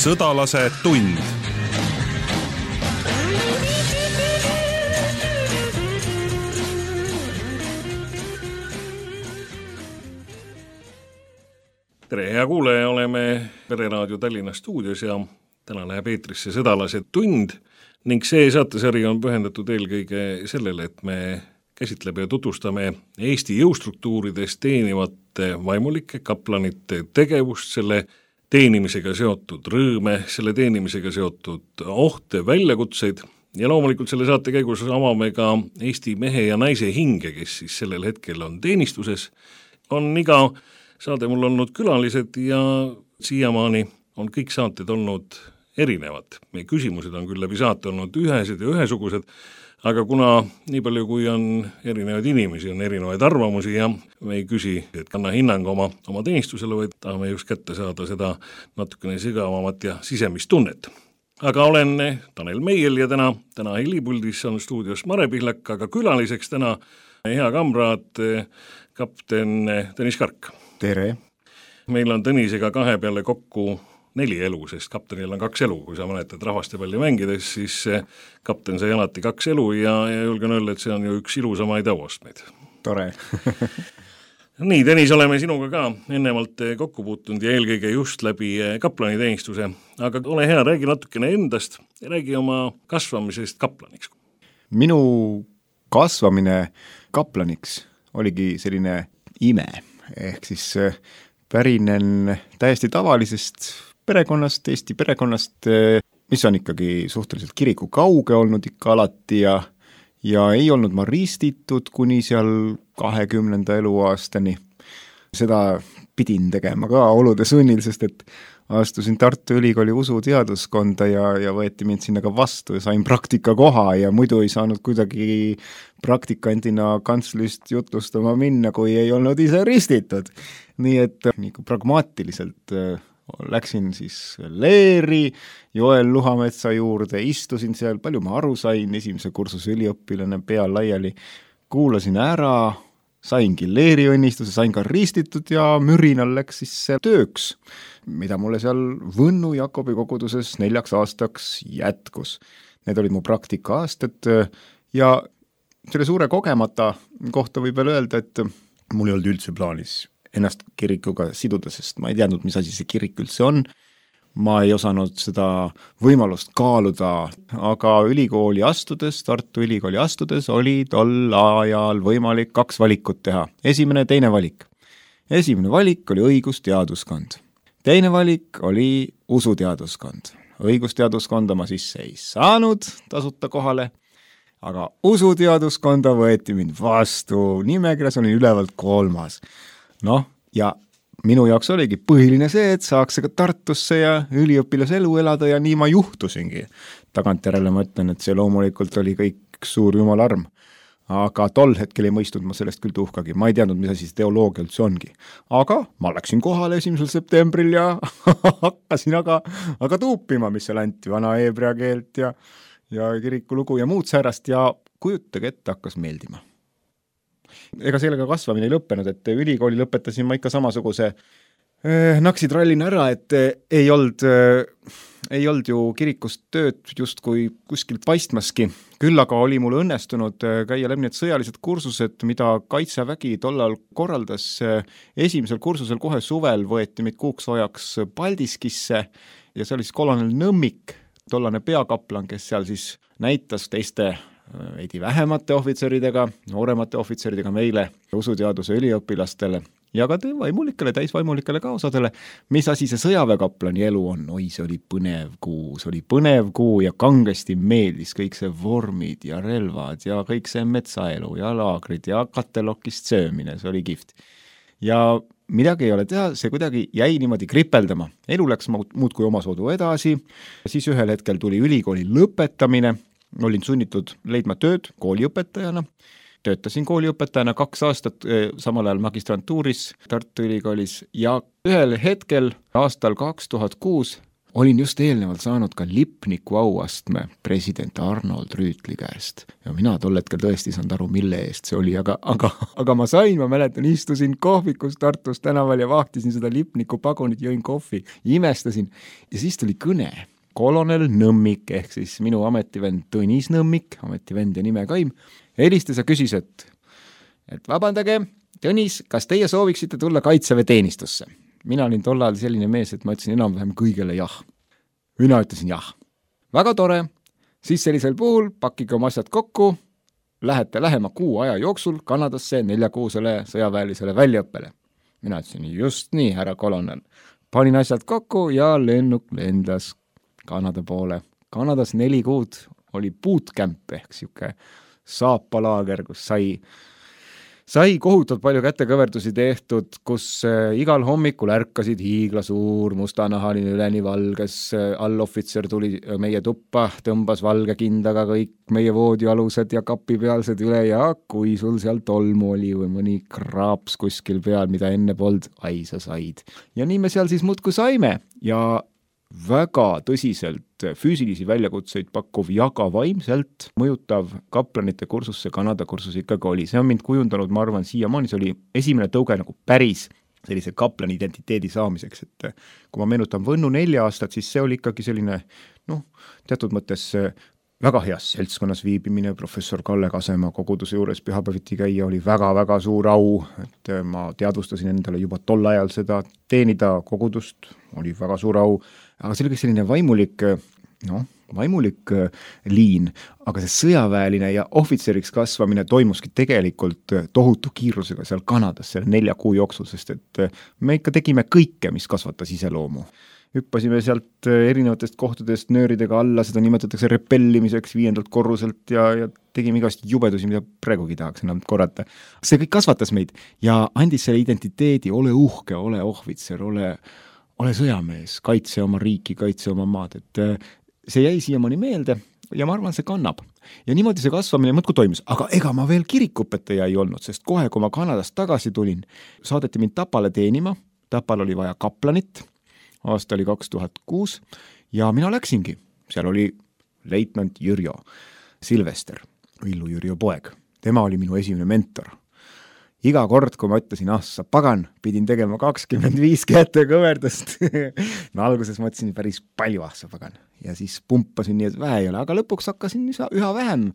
Sõdalase tund. Tere, hea kuulaja, oleme Pereraadio Tallinna stuudios ja täna läheb eetrisse Sõdalase tund ning see saatesari on pühendatud eelkõige sellele, et me käsitleme ja tutvustame Eesti jõustruktuurides teenivate vaimulike kaplanite tegevust, selle teenimisega seotud rõõme, selle teenimisega seotud ohte, väljakutseid ja loomulikult selle saate käigus avame ka Eesti mehe ja naise hinge, kes siis sellel hetkel on teenistuses. On iga saade mul olnud külalised ja siiamaani on kõik saated olnud erinevad. Meie küsimused on küll läbi saate olnud ühesed ja ühesugused, aga kuna nii palju kui on erinevaid inimesi, on erinevaid arvamusi ja me ei küsi, et kanna hinnang oma teenistusele, vaid tahame just kätte saada seda natukene sügavamat ja sisemist tunnet. Aga olen Tanel Meiel ja täna helipuldis on stuudios Mare Pihlak, aga külaliseks täna hea kamraad kapten Tõnis Kark. Tere! Meil on Tõnisega kahe peale kokku 4 elu, sest kaptenil on 2 elu. Kui sa mäletad rahvastepalli mängides, siis kapten sai alati 2 elu ja julgen öelda, et see on ju üks ilusamaid auastmeid. Tore! Nii, Tõnis, oleme sinuga ka ennemalt kokku puutunud ja eelkõige just läbi kaplaniteenistuse. Aga ole hea, räägi natukene endast ja räägi oma kasvamisest kaplaniks. Minu kasvamine kaplaniks oligi selline ime. Ehk siis pärinen täiesti tavalisest perekonnast, Eesti perekonnast, mis on ikkagi suhteliselt kiriku kauge olnud ikka alati ja ei olnud ma ristitud kuni seal 20. eluaastani. Seda pidin tegema ka olude sunnil, sest et astusin Tartu Ülikooli usuteaduskonda ja võeti mind sinna ka vastu ja sain praktikakoha ja muidu ei saanud kuidagi praktikandina kantslist jutlustama minna, kui ei olnud ise ristitud. Nii et nagu pragmaatiliselt läksin siis Leeri Joel Luhametsa juurde, istusin seal, palju ma aru sain, esimese kursuse üliõpilane pea laiali, kuulasin ära, saingi Leeri õnnistuse, sain ka ristitud ja mürinal läks siis see tööks, mida mulle seal Võnnu Jakobi koguduses 4 aastaks jätkus. Need olid mu praktika-aastad ja selle suure kogemata kohta võib veel öelda, et mul ei olnud üldse plaanis ennast kirikuga siduda, sest ma ei teadnud, mis asi see kirik üldse on. Ma ei osanud seda võimalust kaaluda, aga ülikooli astudes, Tartu Ülikooli astudes oli tol ajal võimalik 2 valikut teha. Esimene ja teine valik. Esimene valik oli õigusteaduskond. Teine valik oli usuteaduskond. Õigusteaduskonda ma sisse ei saanud tasuta kohale, aga usuteaduskonda võeti mind vastu. Nimekirjas olin ülevalt 3. Ja minu jaoks oligi põhiline see, et saaks ka Tartusse ja üliõpilaselu elada ja nii ma juhtusingi. Tagantjärele ma ütlen, et see loomulikult oli kõik suur jumala arm. Aga tol hetkel ei mõistnud ma sellest küll tuhkagi. Ma ei teadnud, mis asi see teoloogia üldse ongi. Aga ma läksin kohale 1. septembril ja hakkasin aga tuupima, mis seal anti, vana heebrea keelt ja kirikulugu ja muud säärast ja kujutage ette, hakkas meeldima. Ega sellega kasvamine ei lõppenud, et ülikooli lõpetasin ma ikka samasuguse naksitrallin ära, et ei olnud ju kirikust tööd just kui kuskilt paistmaski. Küll aga oli mul õnnestunud käia läbi need sõjalised kursused, mida Kaitsevägi tollal korraldas. Esimesel kursusel kohe suvel võeti meid kuuks ajaks Paldiskisse ja see oli siis kolonel Nõmmik, tollane peakaplan, kes seal siis näitas teiste veidi vähemate ohvitseridega, nooremate ohvitseridega meile, usuteaduse üliõpilastele ja ka vaimulikele, täisvaimulikele ka osadele, mis asi see sõjaväekaplani elu on. Oi, see oli põnev kuu ja kangesti meeldis kõik see vormid ja relvad ja kõik see metsaelu ja laagrid ja katelokist söömine, see oli kihvt. Ja midagi ei ole teha, see kuidagi jäi niimoodi kripeldama. Elu läks muudkui omasoodu edasi, siis ühel hetkel tuli ülikooli lõpetamine, olin sunnitud leidma tööd kooliõpetajana, töötasin kooliõpetajana 2 aastat, samal ajal magistrantuuris Tartu Ülikoolis ja ühel hetkel aastal 2006 olin just eelnevalt saanud ka Lipniku auastme president Arnold Rüütli käest ja mina tol hetkel tõesti ei saanud aru, mille eest see oli, aga ma sain, ma mäletan, istusin kohvikus Tartus tänaval ja vahtisin seda Lipniku pagunit, jõin kohvi, imestasin ja siis tuli kõne. Kolonel Nõmmik ehk siis minu ametivend Tõnis Nõmmik, ametivend ja nime Kaim, helistas ja küsis, et vabandage, Tõnis, kas teie sooviksite tulla Kaitseväe teenistusse? Mina olin tol ajal selline mees, et ma ütlesin enam-vähem kõigele jah. Mina ütlesin jah. Väga tore. Siis sellisel puhul pakkige oma asjad kokku, lähete lähema 6 aja jooksul Kanadasse 4-kuusele sõjaväelisele väljaõppele. Mina ütlesin just nii, härra kolonel. Panin asjad kokku ja lennuk lendas Kanada poole. Kanadas 4 kuud oli bootcamp ehk siuke saapalaager, kus sai kohutult palju kätekõverdusi tehtud, kus igal hommikul ärkasid hiiglasuur mustanahaline üleni valges allohvitser tuli meie tuppa, tõmbas valge kindaga kõik meie voodialused ja kapipealsed üle ja kui sul seal tolmu oli või mõni kraaps kuskil peal, mida enne polnud, sa said. Ja nii me seal siis muudkui saime ja väga tõsiselt füüsilisi väljakutseid pakkuv ja ka vaimselt mõjutav kaplanite kursusse Kanada kursus ikkagi oli. See on mind kujundanud, ma arvan, siiamaani see oli esimene tõuge nagu päris sellise kaplani identiteedi saamiseks, et kui ma meenutan Võnnu 4 aastat, siis see oli ikkagi selline, teatud mõttes väga heas seltskonnas viibimine, professor Kalle Kasemaa koguduse juures pühapäeviti käia oli väga-väga suur au, et ma teadvustasin endale juba tol ajal seda, teenida kogudust oli väga suur au, aga see oli selline vaimulik liin, aga see sõjaväeline ja ohvitseriks kasvamine toimuski tegelikult tohutu kiirusega seal Kanadas selle 4 kuu jooksul, sest et me ikka tegime kõike, mis kasvatas iseloomu. Hüppasime sealt erinevatest kohtadest nööridega alla, seda nimetatakse repellimiseks 5. korruselt ja tegime igast jubedusi, mida praegugi tahaks enam korrata. See kõik kasvatas meid ja andis selle identiteedi, ole uhke, ole ohvitser, ole sõjamees, kaitse oma riiki, kaitse oma maad, et see jäi siiamaani meelde ja ma arvan, see kannab. Ja niimoodi see kasvamine mõtku toimus, aga ega ma veel kirikupetaja ei olnud, sest kohe, kui ma Kanadast tagasi tulin, saadeti mind Tapale teenima, Tapal oli vaja kaplanit, aasta oli 2006 ja mina läksingi. Seal oli leitnant Jürjo Silvester, Villu Jürjo poeg. Tema oli minu esimene mentor. Iga kord, kui ma ütlesin, sa pagan, pidin tegema 25 kätekõverdust. No alguses ma ütlesin päris palju, sa pagan. Ja siis pumpasin nii, et vähe ei ole, aga lõpuks hakkasin üha vähem.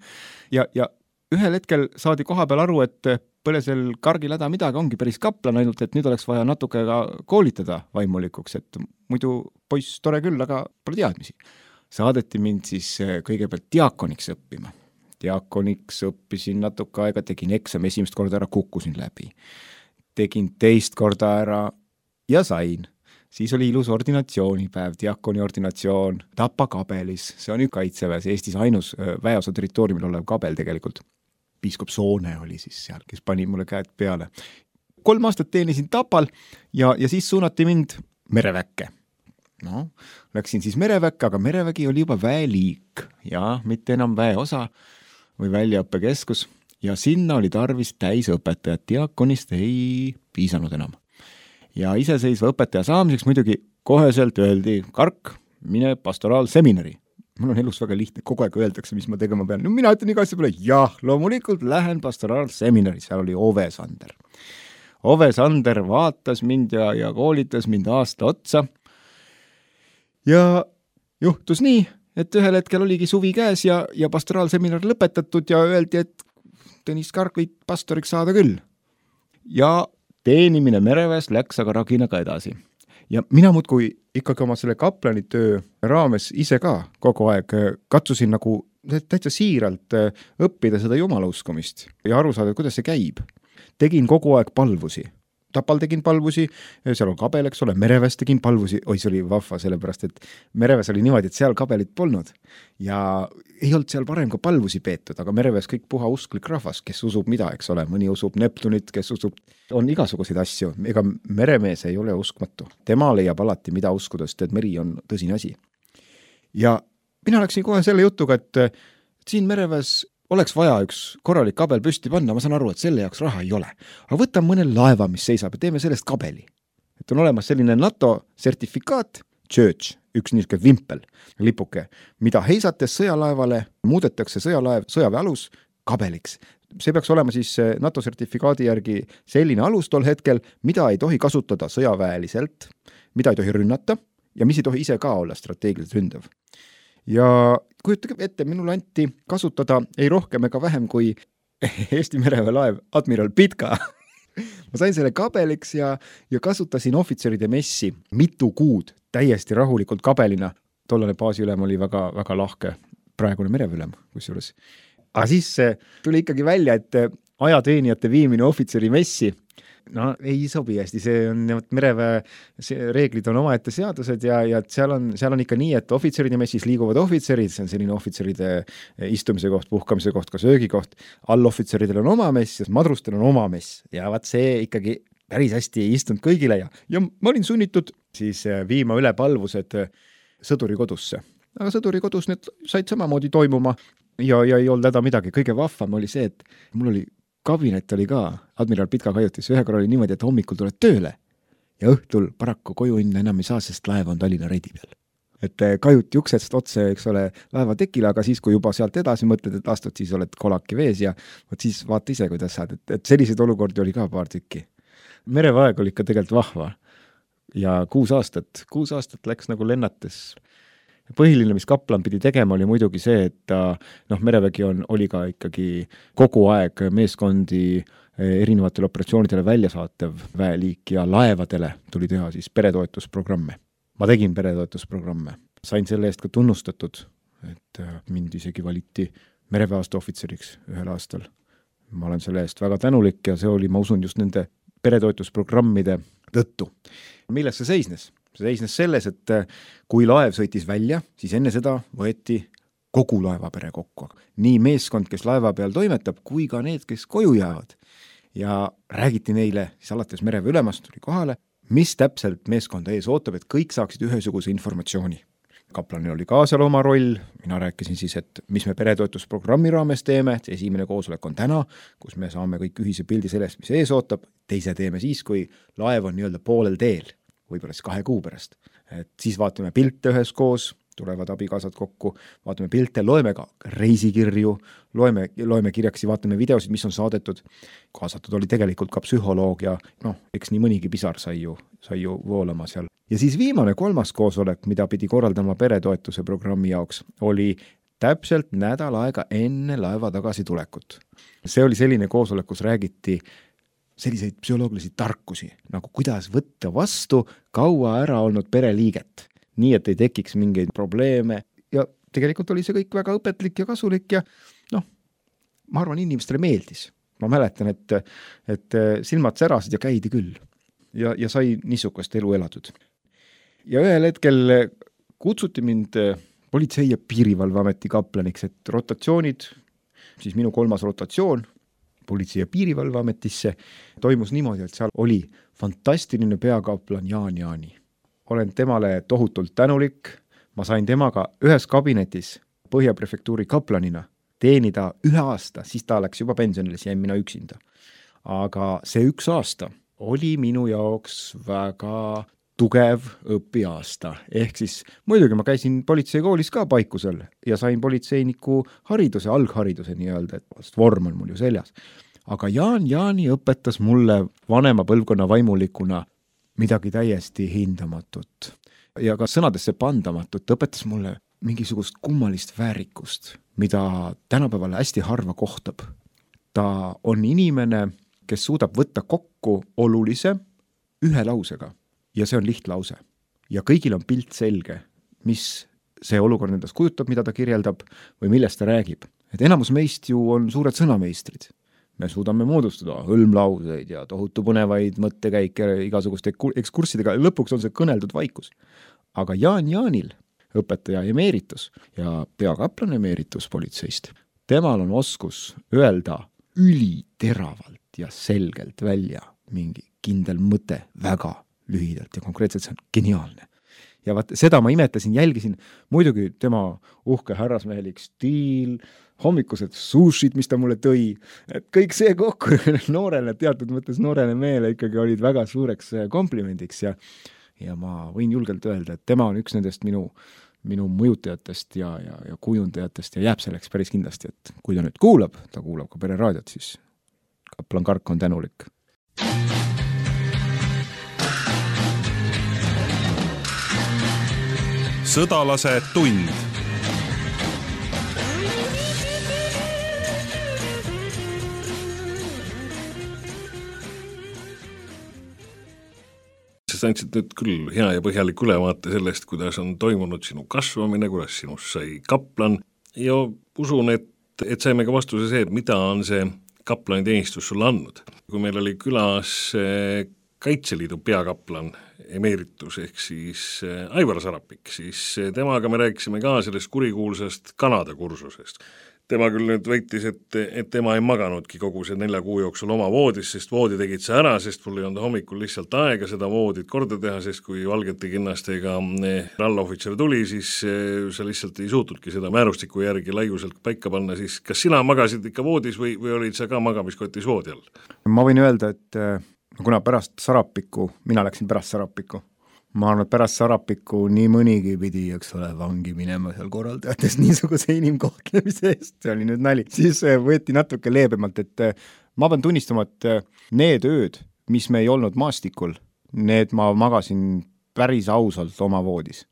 Ja ühel hetkel saadi koha peal aru, et põlesel kargil häda midagi ongi päris kaplan, ainult et nüüd oleks vaja natuke ka koolitada vaimulikuks, et muidu poiss tore küll, aga pole teadmisi. Saadeti mind siis kõigepealt diakoniks õppima. Diakoniks õppisin natuke aega, tegin eksami, esimest korda ära, kukkusin läbi. Tegin teist korda ära ja sain. Siis oli ilus ordinatsioonipäev, diakoni ordinatsioon Tapa kabelis. See on Kaitseväes, Eestis ainus väeosa territooriumil olev kabel tegelikult. Piiskop Soone oli siis seal, kes pani mulle käed peale. 3 aastat teenisin Tapal ja siis suunati mind mereväkke. Läksin siis mereväkke, aga merevägi oli juba väeliik ja mitte enam väeosa või väljaõppekeskus ja sinna oli tarvis täisõpetajat, diakonist ei piisanud enam. Ja iseseisva õpetaja saamiseks muidugi koheselt öeldi, Kark, mine pastoraalseminari. Mul on elus väga lihtne, kogu aeg öeldakse, mis ma tegema pean. No mina ütlen iga asja peale, jah, loomulikult lähen pastoraalseminari, seal oli Ove Sander. Ove Sander vaatas mind ja koolitas mind aasta otsa. Ja juhtus nii, et ühel hetkel oligi suvi käes ja pastoraalseminar lõpetatud ja öeldi, et Tõnis Kark võid pastoriks saada küll. Ja teenimine mereväes läks aga raginaga edasi. Ja mina muudkui ikkagi oma selle kaplanitöö raames ise ka kogu aeg katsusin nagu täitsa siiralt õppida seda jumalauskumist ja aru saada, kuidas see käib. Tegin kogu aeg palvusi. Tapal tegin palvusi, seal on kabel, eks ole, mereväes tegin palvusi, see oli vahva, sellepärast, et mereväes oli niimoodi, et seal kabelit polnud ja ei olnud seal varem ka palvusi peetud, aga mereväes kõik puha usklik rahvas, kes usub mida, eks ole, mõni usub Neptunit, kes usub, on igasuguseid asju, ega meremees ei ole uskmatu, tema leiab alati mida uskuda, sest et meri on tõsine asi. Ja mina läksin kohe selle jutuga, et siin mereväes oleks vaja üks korralik kabel püsti panna, ma saan aru, et selle jaoks raha ei ole. Aga võtan mõne laeva, mis seisab ja teeme sellest kabeli. Et on olemas selline NATO sertifikaat, church, üks niisugune vimpel, lipuke, mida heisates sõjalaevale muudetakse sõjaväe alus kabeliks. See peaks olema siis NATO sertifikaadi järgi selline alus tol hetkel, mida ei tohi kasutada sõjaväeliselt, mida ei tohi rünnata ja mis ei tohi ise ka olla strateegiliselt ründav. Ja kujutage ette, minul anti kasutada ei rohkem ega vähem kui Eesti mereväe laev Admiral Pitka. Ma sain selle kabeliks ja kasutasin ohvitseride messi mitu kuud täiesti rahulikult kabelina. Tollane baasiülem oli väga, väga lahke, praegune mereväeülem kusjuures. Aga siis tuli ikkagi välja, et ajateenijate viimine ohvitseri messi ei sobi hästi, see on mereväe reeglid on omaette seadused ja seal on ikka nii, et ohvitseride messis liiguvad ohvitserid, see on selline ohvitseride istumise koht, puhkamise koht, ka söögikoht, allohvitseridel on oma mess ja madrustel on oma mess ja vaat see ikkagi päris hästi ei istunud kõigile ja ma olin sunnitud siis viima üle palvused sõduri kodusse. Aga sõduri kodus need said samamoodi toimuma ja ei olnud häda midagi. Kõige vahvam oli see, et mul oli kabinet oli ka, Admiral Pitka kajutis, ühe korra oli niimoodi, et hommikul tuled tööle ja õhtul paraku koju enam ei saa, sest laev on Tallinna reidi peal. Et kajuti uksest otse, eks ole, laeva tekile, aga siis, kui juba sealt edasi mõtled, et astud, siis oled kolaki vees ja võt siis vaata ise, kuidas saad. Et selliseid olukordi oli ka paar tükki. Mereväeg oli ikka tegelikult vahva ja 6 aastat läks nagu lennates. Põhiline, mis kaplan pidi tegema, oli muidugi see, et merevägi oli ka ikkagi kogu aeg meeskondi erinevatele operatsioonidele välja saatev väeliik ja laevadele tuli teha siis peretoetusprogramme. Ma tegin peretoetusprogramme. Sain selle eest ka tunnustatud, et mind isegi valiti mereväeaasta ohvitseriks ühel aastal. Ma olen selle eest väga tänulik ja see oli, ma usun, just nende peretoetusprogrammide tõttu. Milles see seisnes? See seisnes selles, et kui laev sõitis välja, siis enne seda võeti kogu laevapere kokku. Nii meeskond, kes laeva peal toimetab, kui ka need, kes koju jäävad. Ja räägiti neile, siis alates mereväe ülemast tuli kohale, mis täpselt meeskonda ees ootab, et kõik saaksid ühesuguse informatsiooni. Kaplanil oli ka seal oma roll, mina rääkisin siis, et mis me peretoetusprogrammi raames teeme, et esimene koosolek on täna, kus me saame kõik ühise pildi sellest, mis ees ootab, teise teeme siis, kui laev on nii-öelda poolel teel. Võib-olla siis 2 kuu pärast. Et siis vaatame pilte üheskoos, tulevad abikaasad kokku, vaatame pilte, loeme ka reisikirju, loeme kirjaksi, vaatame videosid, mis on saadetud. Kaasatud oli tegelikult ka psühholoog ja eks nii mõnigi pisar sai ju voolama seal. Ja siis viimane 3. koosolek, mida pidi korraldama peretoetuse programmi jaoks, oli täpselt nädal aega enne laeva tagasi tulekut. See oli selline koosolek, kus räägiti selliseid psühholoogilisi tarkusi, nagu kuidas võtta vastu kaua ära olnud pereliiget, nii et ei tekiks mingeid probleeme ja tegelikult oli see kõik väga õpetlik ja kasulik ja ma arvan, inimestele meeldis. Ma mäletan, et silmad särasid ja käidi küll ja sai niisugust elu elatud. Ja ühel hetkel kutsuti mind Politsei- ja Piirivalveameti kaplaniks, et rotatsioonid, siis minu 3. rotatsioon, Politsei- ja Piirivalveametisse toimus niimoodi, et seal oli fantastiline peakaplan Jaan Jaani. Olen temale tohutult tänulik, ma sain temaga ühes kabinetis Põhjaprefektuuri kaplanina teenida 1 aasta, siis ta läks juba pensionile, siis jäin mina üksinda. Aga see 1 aasta oli minu jaoks väga tugev õpiaasta. Ehk siis muidugi ma käisin politseikoolis ka Paikusel ja sain politseiniku hariduse, alghariduse nii-öelda, et vorm on mul ju seljas. Aga Jaan Jaani õpetas mulle vanema põlvkonna vaimulikuna midagi täiesti hindamatut ja ka sõnadesse pandamatut. Õpetas mulle mingisugust kummalist väärikust, mida tänapäeval hästi harva kohtab. Ta on inimene, kes suudab võtta kokku olulise 1 lausega. Ja see on lihtlause. Ja kõigil on pilt selge, mis see olukord endast kujutab, mida ta kirjeldab või millest ta räägib. Et enamus meist ju on suured sõnameistrid. Me suudame moodustada hõlmlauseid ja tohutu põnevaid mõttekäike igasuguste ekskurssidega. Lõpuks on see kõneldud vaikus. Aga Jaan Jaanil, õpetaja emeeritus ja peakaplan emeeritus politseist, temal on oskus öelda üliteravalt ja selgelt välja mingi kindel mõte väga lühidalt ja konkreetselt see on geniaalne. Ja vaat seda ma imetasin, jälgisin muidugi tema uhke härrasmehelik stiil, hommikused sushid, mis ta mulle tõi, et kõik see kokku noorele, teatud mõttes noorele mehele ikkagi olid väga suureks komplimendiks ja ma võin julgelt öelda, et tema on üks nendest minu mõjutajatest ja kujundajatest ja jääb selleks päris kindlasti, et kui ta nüüd kuulab, ta kuulab ka Pereraadiot, siis kaplan Kark on tänulik. Sõdalase tund. Sa andsid nüüd küll hea ja põhjalik ülevaate sellest, kuidas on toimunud sinu kasvamine, kuidas sinust sai kaplan ja usun, et saime ka vastuse see, et mida on see kaplani teenistus sulle andnud. Kui meil oli külas Kaitseliidu peakaplan emeritus ehk siis Aivar Sarapik, siis temaga me rääkisime ka sellest kurikuulsast Kanada kursusest. Tema küll nüüd väitis, et tema ei maganudki kogu see 4 kuu jooksul oma voodis, sest voodi tegid sa ära, sest mul ei olnud hommikul lihtsalt aega seda voodit korda teha, sest kui valgete kinnastega allohvitser tuli, siis sa lihtsalt ei suutnudki seda määrustiku järgi laiuselt paika panna, siis kas sina magasid ikka voodis või olid sa ka magamiskotis voodi all? Ma võin öelda, et kuna mina läksin pärast Sarapikku, ma arvan, et pärast Sarapikku nii mõnigi pidi, eks ole, vangi minema seal korraldajates niisuguse inimkohtlemise eest, see oli nüüd nali. Siis võeti natuke leebemalt, et ma pean tunnistama, et need ööd, mis me ei olnud maastikul, need ma magasin päris ausalt oma voodis.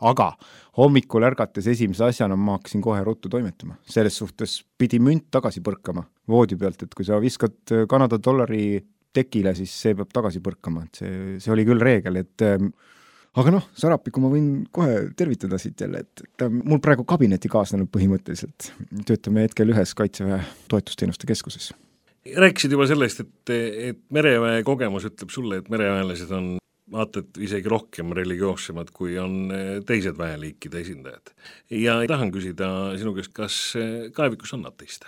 Aga hommikul ärgates esimese asjana ma hakkasin kohe ruttu toimetama. Selles suhtes pidi münt tagasi põrkama voodi pealt, et kui sa viskad Kanada dollari tekile, siis see peab tagasi põrkama, et see oli küll reegel, et aga Sarapikku ma võin kohe tervitada siit jälle, et mul praegu kabineti kaasnenud põhimõtteliselt, töötame hetkel ühes Kaitseväe toetusteenuste keskuses. Rääkisid juba sellest, et mereväe kogemus ütleb sulle, et mereväelased on vaatad isegi rohkem religioossemad, kui on teised väeliikide esindajad. Ja tahan küsida sinu käest, kas kaevikus on ateiste?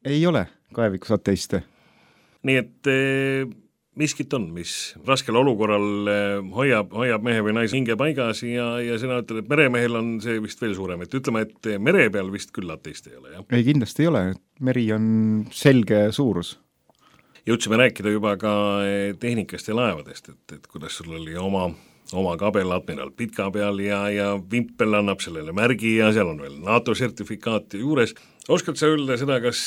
Ei ole kaevikus ateiste. Nii et miskit on, mis raskel olukorral hoiab mehe või naise hinge paigas ja sina ütled, et meremehel on see vist veel suurem, et ütleme, et mere peal vist küll ateist ei ole, jah? Ei, kindlasti ei ole, meri on selge suurus. Jõudsime rääkida juba ka tehnikast ja laevadest, et kuidas sul oli oma kabel Admiral Pitka peal ja Vimpel annab sellele märgi ja seal on veel NATO sertifikaat juures. Oskad sa öelda seda, kas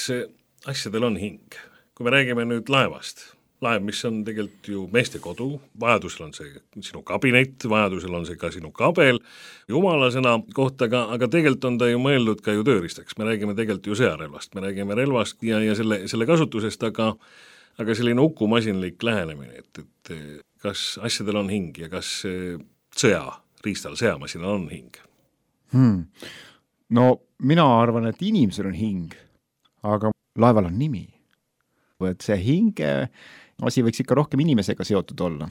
asjadel on hing? Kui me räägime nüüd laevast, laev, mis on tegelikult ju meeste kodu, vajadusel on see sinu kabinet, vajadusel on see ka sinu kabel, jumalasena kohta, aga tegelikult on ta ju mõeldud ka ju tööriistaks, me räägime tegelikult ju sõjarelvast, me räägime relvast ja selle kasutusest, aga selline ukumasinlik lähenemine, et kas asjadel on hing ja kas sõjariistal, sõjamasinal on hing? No mina arvan, et inimesel on hing, aga laeval on nimi. Et see hinge asi võiks ikka rohkem inimesega seotud olla.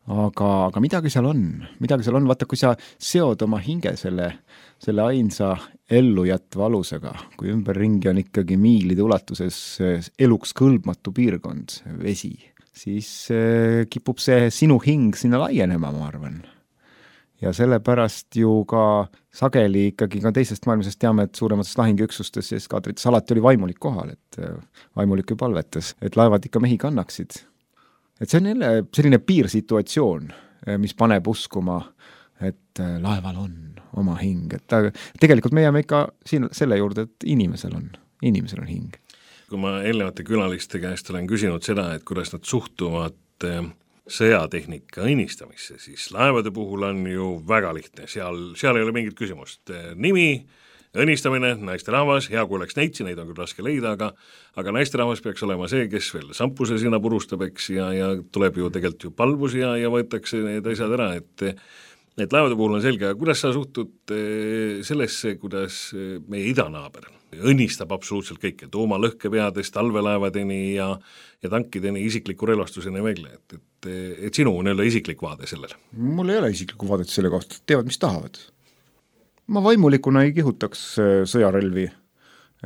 Aga midagi seal on, vaata, kui sa seod oma hinge selle ainsa ellujätva alusega, kui ümberringi on ikkagi miilide ulatuses eluks kõlbmatu piirkond, vesi, siis kipub see sinu hing sinna laienema, ma arvan. Ja sellepärast ju ka sageli ikkagi ka teisest maailmasest teame, et suuremates lahinguüksustes ja eskaadrites alati oli vaimulik kohal, et vaimulik palvetas, et laevad ikka mehi kannaksid. Et see on jälle selline piirsituatsioon, mis paneb uskuma, et laeval on oma hing. Et tegelikult me jääme ikka selle juurde, et inimesel on hing. Kui ma eelnevate külaliste käest olen küsinud seda, et kuidas nad suhtuvad sõjatehnika õnnistamisse, siis laevade puhul on ju väga lihtne, seal ei ole mingit küsimust. Nimi, õnnistamine, naisterahvas, hea kui oleks neitsi, neid on küll raske leida, aga naisterahvas peaks olema see, kes veel sampuse sinna purustab, eks, ja tuleb ju tegelikult ju palvus ja võetakse need asjad ära, et laevade puhul on selge, aga kuidas sa suhtud sellesse, kuidas meie idanaaber õnnistab absoluutselt kõike, tuumalõhkepeadest, talvelaevadeni ja tankideni, isikliku relvastuseni välja, et sinu nii-öelda isiklik vaade sellele? Mul ei ole isiklikku vaadet selle kohta, teevad, mis tahavad. Ma vaimulikuna ei kihutaks sõjarelvi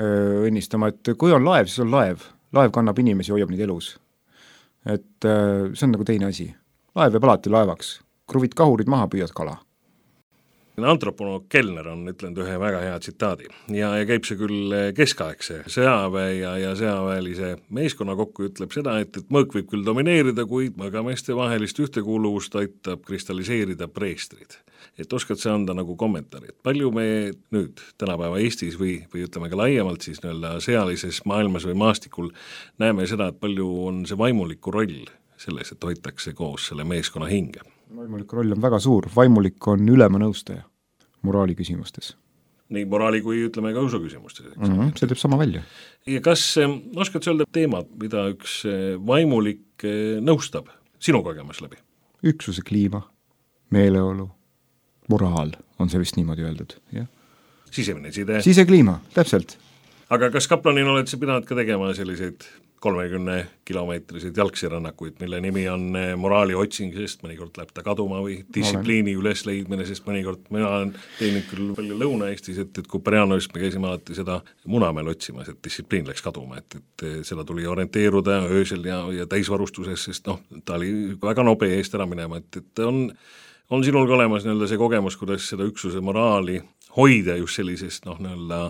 õnnistama, et kui on laev, siis on laev. Laev kannab inimesi, hoiab neid elus. Et see on nagu teine asi. Laev jääb alati laevaks. Kruvid kahurid maha, püüad kala. Antroponoog Kellner on ütlenud ühe väga hea tsitaadi ja käib see küll keskaegse sõjaväe ja sõjaväelise meeskonna kokku, ütleb seda, et mõõk võib küll domineerida, kuid mõõgameeste vahelist ühtekuuluvust aitab kristalliseerida preestrid. Et oskad sa anda nagu kommentaari, et palju me nüüd tänapäeva Eestis või ütleme ka laiemalt siis nii-öelda sõjalises maailmas või maastikul näeme seda, et palju on see vaimuliku roll selles, et hoitakse koos selle meeskonna hinge? Vaimuliku roll on väga suur, vaimulik on ülema nõustaja moraali küsimustes. Nii moraali kui ütleme ka usu küsimustes. See teeb sama välja. Ja kas oskad sa öelda teemad, mida üks vaimulik nõustab sinu kogemus läbi? Üksuse kliima, meeleolu, moraal on see vist niimoodi öeldud. Ja? Sisemine side. Sisekliima, täpselt. Aga kas kaplanina oled sa pidanud ka tegema selliseid 30-kilomeetriseid jalgsirännakuid, mille nimi on moraali otsing, sest mõnikord läheb ta kaduma või distsipliini ülesleidmine, sest mõnikord mina olen teinud küll palju Lõuna-Eestis, et kui Pärjanovist me käisime alati seda Munamäel otsimas, et distsipliin läks kaduma, et seda tuli orienteeruda öösel ja täisvarustuses, sest ta oli väga nobe eest ära minema, et on sinul ka olemas nii-öelda see kogemus, kuidas seda üksuse moraali hoida just sellisest nii-öelda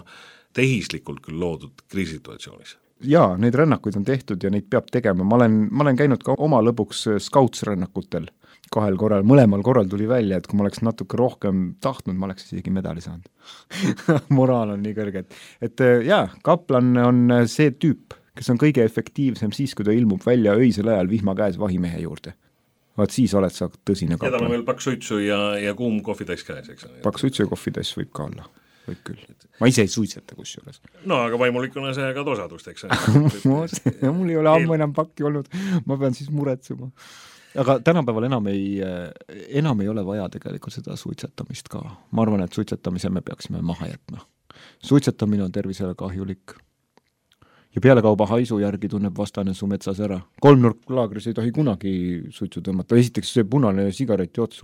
tehislikult küll loodud kriisituatsioonis? Jaa, neid rännakuid on tehtud ja neid peab tegema. Ma olen käinud ka oma lõbuks scouts-rännakutel 2 korral. Mõlemal korral tuli välja, et kui ma oleks natuke rohkem tahtnud, ma oleks isegi medali saanud. Moraal on nii kõrge. Et jaa, kaplan on see tüüp, kes on kõige efektiivsem siis, kui ta ilmub välja öisel ajal vihma käes vahimehe juurde. Vaat siis oled sa tõsine kaplan. Ja tal on veel paks suitsu ja kuum kohvitass käes, eks? Paks suitsu ja kohvitass võib ka olla. Võib küll. Ma ise ei suitseta kusjuures. No aga vaimulikuna see ka osadust, eks? Mul ei ole ammu enam pakki olnud, ma pean siis muretsema. Aga tänapäeval enam ei ole vaja tegelikult seda suitsetamist ka. Ma arvan, et suitsetamise me peaksime maha jätma. Suitsetamine on tervisele kahjulik. Ja pealekauba haisu järgi tunneb vastane su metsas ära. 3-nurklaagris ei tohi kunagi suitsu tõmmata. Esiteks see punane sigareti ots,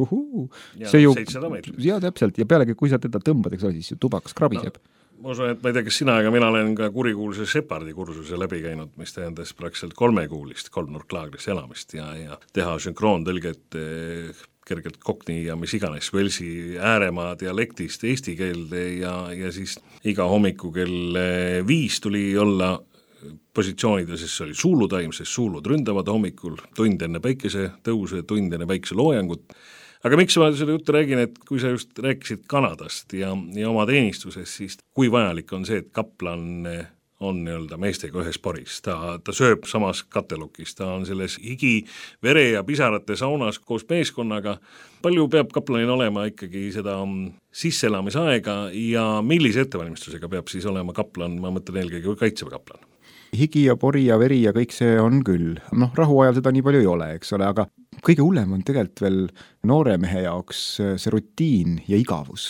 see ju, 700 meetrit. Ja täpselt, ja pealegi kui sa teda tõmbad, eks ole, siis ju tubakas krabiseb. Ma usun, et ma ei tea, kas sina, aga mina olen ka kurikuulse Shepardi kursuse läbi käinud, mis tähendas praktiliselt 3-kuulist 3-nurklaagris elamist ja teha sünkroontõlget kergelt kokni ja mis iganes Velsi ääremaa dialektist eesti keelde ja siis iga hommiku kell 5 tuli olla positsioonida, sest see oli suulutaim, sest suulud ründavad hommikul, tund enne päikese tõuse, tund enne päikese loojangut. Aga miks ma seda juttu räägin, et kui sa just rääkisid Kanadast ja oma teenistuses, siis kui vajalik on see, et kaplan on nii-öelda meestega ühes paris, ta sööb samas katelukis, ta on selles higi, vere ja pisarate saunas koos meeskonnaga. Palju peab kaplanil olema ikkagi seda sisseelamisaega ja millise ettevalmistusega peab siis olema kaplan, ma mõtlen eelkõige kaitseväe kaplan? Higi ja pori ja veri ja kõik see on küll. Rahuajal seda nii palju ei ole, eks ole, aga kõige hullem on tegelikult veel noore mehe jaoks see rutiin ja igavus.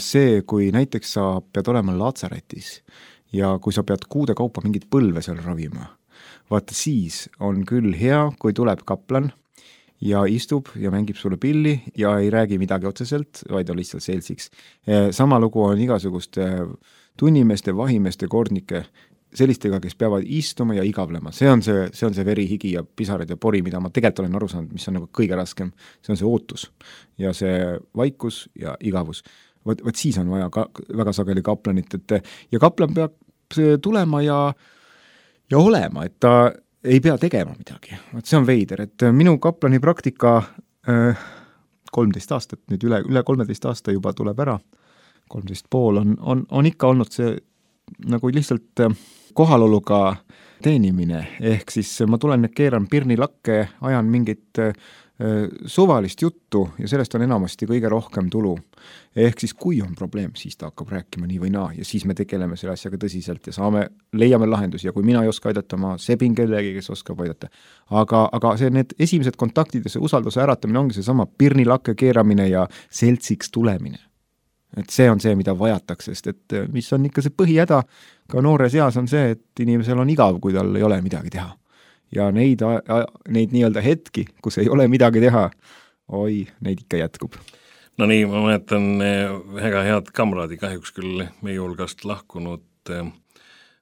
See, kui näiteks sa pead olema latsaretis ja kui sa pead kuude kaupa mingit põlve seal ravima, vaata siis on küll hea, kui tuleb kaplan ja istub ja mängib sulle pilli ja ei räägi midagi otseselt, vaid on lihtsalt seltsiks. Sama lugu on igasuguste tunnimeeste, vahimeeste, kordnike, sellistega, kes peavad istuma ja igavlema. See on see veri, higi ja pisarad ja pori, mida ma tegelikult olen aru saanud, mis on nagu kõige raskem. See on see ootus ja see vaikus ja igavus. Võt siis on vaja väga sageli kaplanit, ja kaplan peab tulema ja olema, et ta ei pea tegema midagi. See on veider, et minu kaplani praktika 13 aastat, nüüd üle 13 aasta juba tuleb ära, 13,5 on ikka olnud see nagu lihtsalt kohaloluga teenimine, ehk siis ma tulen, keeran pirnilakke, ajan mingit suvalist juttu ja sellest on enamasti kõige rohkem tulu. Ehk siis kui on probleem, siis ta hakkab rääkima nii või naa ja siis me tegeleme selle asjaga tõsiselt ja leiame lahendusi ja kui mina ei oska aidata, ma sebin kellegi, kes oskab aidata. Aga need esimesed kontaktid ja see usalduse äratamine ongi see sama pirnilakke keeramine ja seltsiks tulemine. Et see on see, mida vajatakse, sest et mis on ikka see põhihäda ka noore seas on see, et inimesel on igav, kui tal ei ole midagi teha. Ja neid nii-öelda hetki, kus ei ole midagi teha, neid ikka jätkub. No nii, ma mäletan väga head kamraadi, kahjuks küll meie hulgast lahkunud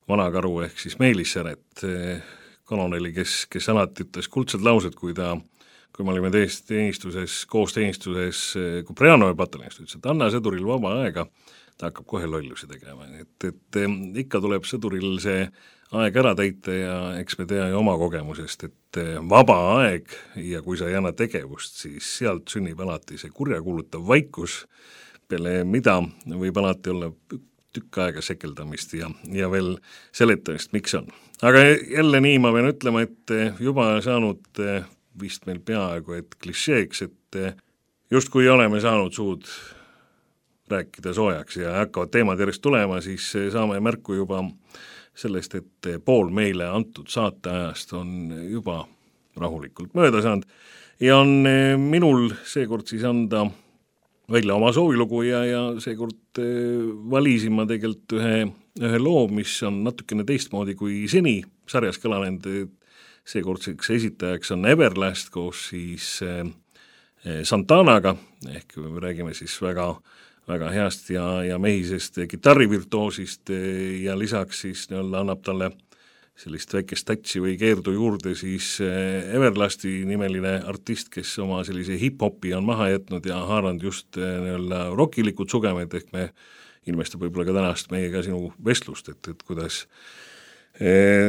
vanakaru ehk siis Meelis Säret, koloneli, kes alati ütles kuldsed laused, kui ta kui me olime koos teenistuses Kupreanovi pataljonis, ütles, et anna sõduril vaba aega, ta hakkab kohe lollusi tegema, et ikka tuleb sõduril see aeg ära täita ja eks me tea ju oma kogemusest, et vaba aeg ja kui sa ei anna tegevust, siis sealt sünnib alati see kurjakuulutav vaikus, peale mida võib alati olla tükk aega sekeldamist ja veel seletamist, miks on. Aga jälle nii ma pean ütlema, et juba saanud vist meil peaaegu et klišeeks, et justkui oleme saanud suud rääkida soojaks ja hakkavad teemad järjest tulema, siis saame märku juba sellest, et pool meile antud saateajast on juba rahulikult mööda saanud ja on minul seekord siis anda välja oma soovilugu ja seekord valisin ma tegelikult ühe loo, mis on natukene teistmoodi kui seni sarjas kõlanud. Seekordseks esitajaks on Everlast koos siis Santanaga, ehk me räägime siis väga, väga heast ja mehisest kitarrivirtuosist ja lisaks siis annab talle sellist väikest tatsi või keerdu juurde siis Everlasti nimeline artist, kes oma sellise hip-hopi on maha jätnud ja haaranud just rockilikud sugemed, ehk me ilmestab võib-olla ka tänast meiega sinu vestlust, et kuidas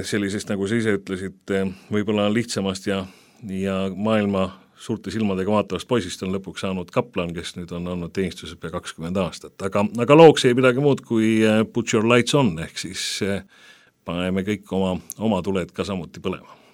sellisest, nagu sa ise ütlesid, võib-olla lihtsamast ja maailma suurte silmadega vaatavast poisist on lõpuks saanud kaplan, kes nüüd on olnud teenistuses pea 20 aastat. Aga looks ei midagi muud kui Put Your Lights On, ehk siis paneme kõik oma tuled ka samuti põlema.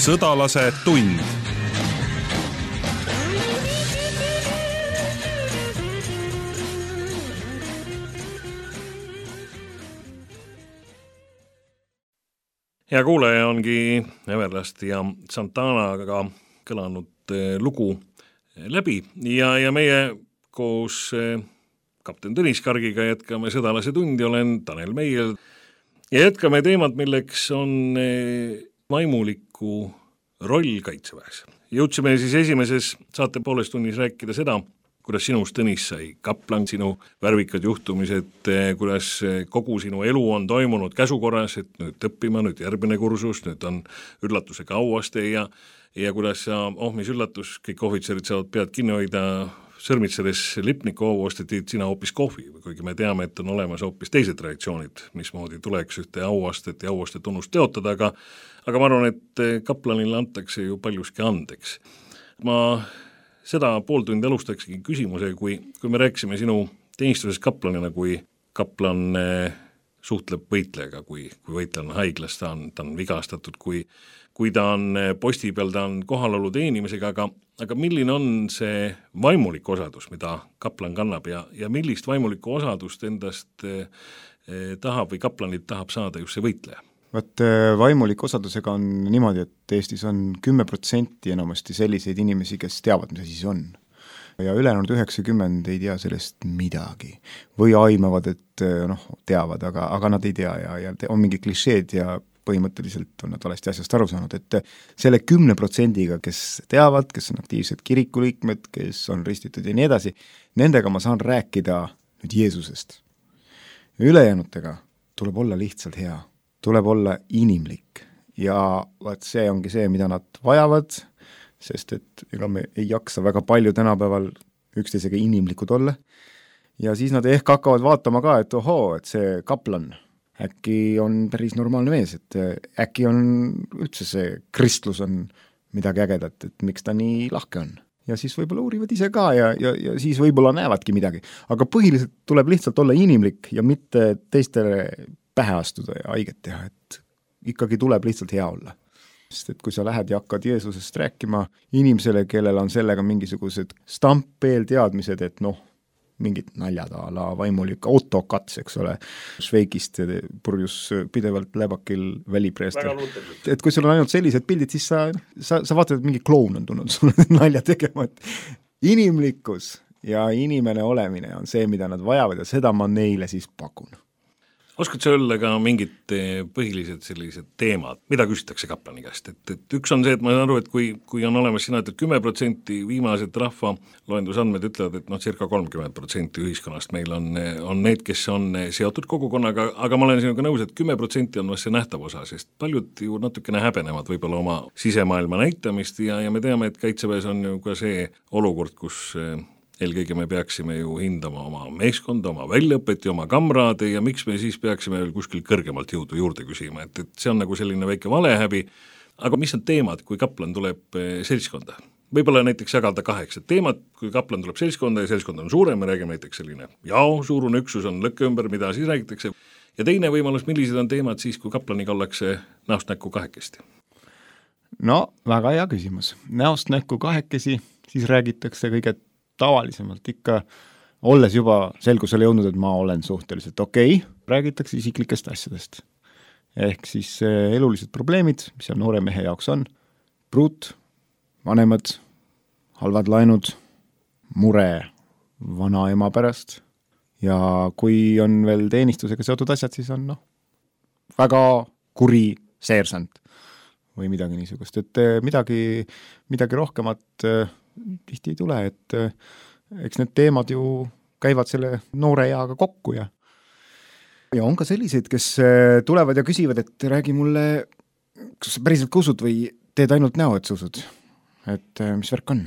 Sõdalase tund. Hea kuulaja, ongi Everlast ja Santanaga kõlanud lugu läbi ja meie koos kapten Tõnis Kargiga jätkame Sõdalase tundi, olen Tanel Meier ja jätkame teemat, milleks on vaimuliku roll Kaitseväes. Jõudsime siis esimeses saate pooles tunnis rääkida seda, kuidas sinust, Tõnis, sai kaplan, sinu värvikad juhtumised, kuidas kogu sinu elu on toimunud käsukorras, et nüüd õppima, nüüd järgmine kursus, nüüd on üllatusega auaste ja kuidas sa ohmis üllatus, kõik ohvitserid saavad pead kinni hoida, sõrmitsedes lipniku auastetid, sina hoopis kohvi, kuigi me teame, et on olemas hoopis teised reaktsioonid, mismoodi tuleks ühte auastet ja auaste tunnust teotada, aga ma arvan, et kaplanile antakse ju paljuski andeks. Ma seda pool tundi alustaksegi küsimuse, kui me rääkisime sinu teenistuses kaplanina, kui kaplan suhtleb võitlejaga, kui võitleja on haiglas, ta on vigastatud, kui ta on posti peal, ta on kohalolu teenimisega, aga milline on see vaimulik osadus, mida kaplan kannab ja millist vaimulikku osadust endast tahab või kaplanit tahab saada just see võitleja? Vaat vaimulik osadusega on niimoodi, et Eestis on 10% enamasti selliseid inimesi, kes teavad, mis asi see on. Ja ülejäänud 90 ei tea sellest midagi. Või aimavad, et teavad, aga nad ei tea ja on mingi klišeed ja põhimõtteliselt on nad valesti asjast aru saanud, et selle 10%-ga, kes teavad, kes on aktiivsed kirikuliikmed, kes on ristitud ja nii edasi, nendega ma saan rääkida nüüd Jeesusest. Ülejäänutega tuleb olla lihtsalt hea. Tuleb olla inimlik ja vaat see ongi see, mida nad vajavad, sest et ega me ei jaksa väga palju tänapäeval üksteisega inimlikud olla. Ja siis nad ehk hakkavad vaatama ka, et ohoo, et see kaplan äkki on päris normaalne mees, et äkki on üldse see kristlus on midagi ägedat, et miks ta nii lahke on. Ja siis võib-olla uurivad ise ka ja siis võib-olla näevadki midagi. Aga põhiliselt tuleb lihtsalt olla inimlik ja mitte teistele pähe astuda ja haiget teha, et ikkagi tuleb lihtsalt hea olla. Sest et kui sa lähed ja hakkad Jeesusest rääkima inimesele, kellel on sellega mingisugused stampeelteadmised, et mingid naljad a la vaimulik autokats, eks ole, Šveikist purjus pidevalt läbakil välipreest. Et kui sul on ainult sellised pildid, siis sa vaatad, et mingi kloun on tulnud sulle nalja tegema, et inimlikkus ja inimene olemine on see, mida nad vajavad ja seda ma neile siis pakun. Oskad sa öelda ka mingid põhilised sellised teemad, mida küsitakse kaplani käest? Et üks on see, et ma saan aru, et kui on olemas sina, et 10% viimased rahva loendusandmed ütlevad, et circa 30% ühiskonnast meil on need, kes on seotud kogukonnaga, aga ma olen sinuga nõus, et 10% on vast see nähtav osa, sest paljud ju natukene häbenevad võib-olla oma sisemaailma näitamist ja me teame, et Kaitseväes on ju ka see olukord, kus eelkõige me peaksime ju hindama oma meeskonda, oma väljaõpet ja oma kamraade ja miks me siis peaksime veel kuskil kõrgemalt jõudu juurde küsima, et see on nagu selline väike valehäbi, aga mis on teemad, kui kaplan tuleb seltskonda? Võib-olla näiteks jagada 8 teemat, kui kaplan tuleb seltskonda ja seltskond on suurem, me räägime näiteks selline suurune üksus on lõkke ümber, mida siis räägitakse, ja teine võimalus, millised on teemad siis, kui kaplaniga ollakse näost näkku kahekesti? Väga hea küsimus. Näost näkku kahekesi, siis räägitakse kõige tavalisemalt ikka, olles juba selgusele jõudnud, et ma olen suhteliselt okei, räägitakse isiklikest asjadest. Ehk siis elulised probleemid, mis on noore mehe jaoks on, pruut, vanemad, halvad laenud, mure vanaema pärast ja kui on veel teenistusega seotud asjad, siis on väga kuri seersant või midagi niisugust, et midagi rohkemat tihti ei tule, et eks need teemad ju käivad selle noore eaga kokku ja on ka selliseid, kes tulevad ja küsivad, et räägi mulle, kas sa päriselt ka usud või teed ainult näo, et sa usud, et mis värk on?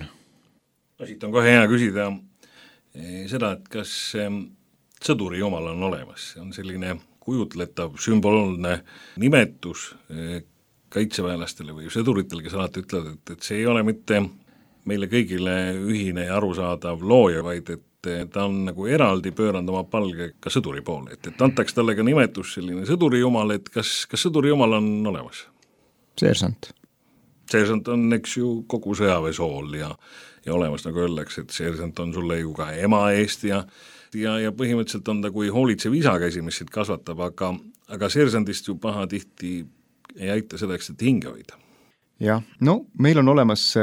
Siit on kohe hea küsida seda, et kas sõduri jumal on olemas, see on selline kujutletav sümbolne nimetus kaitseväelastele või sõduritele, kes alati ütlevad, et see ei ole mitte meile kõigile ühine ja arusaadav looja, vaid et ta on nagu eraldi pööranud oma palge ka sõduri poole, et antaks talle ka nimetus selline sõduri jumal, et kas sõduri jumal on olemas? Seersant. seersant on, eks ju, kogu sõjaväesool ja olemas, nagu öeldakse, et seersant on sulle ju ka ema eest ja põhimõtteliselt on ta kui hoolitsev isakäsi, mis sind kasvatab, aga seersandist ju pahatihti ei aita selleks, et hinge hoida. Jah, no meil on olemas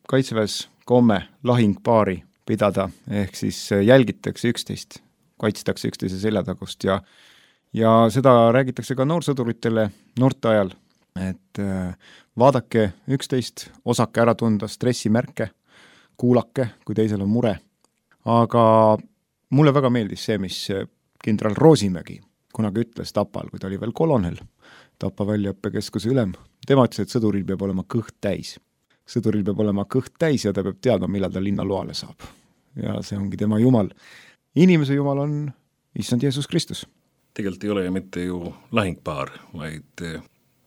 kaitseväes komme lahingpaari pidada, ehk siis jälgitakse üksteist, kaitstakse üksteise seljatagust ja seda räägitakse ka noorsõduritele noorte ajal, et vaadake üksteist, osake ära tunda stressimärke, kuulake, kui teisel on mure. Aga mulle väga meeldis see, mis kindral Roosimägi kunagi ütles Tapal, kui ta oli veel kolonel, Tapa väljaõppekeskuse ülem. Tema ütles, et sõduril peab olema kõht täis. Sõduril peab olema kõht täis ja ta peab teadma, millal ta linna loale saab. Ja see ongi tema jumal. Inimese jumal on Issand Jeesus Kristus. Tegelikult ei ole mitte ju lahingpaar, vaid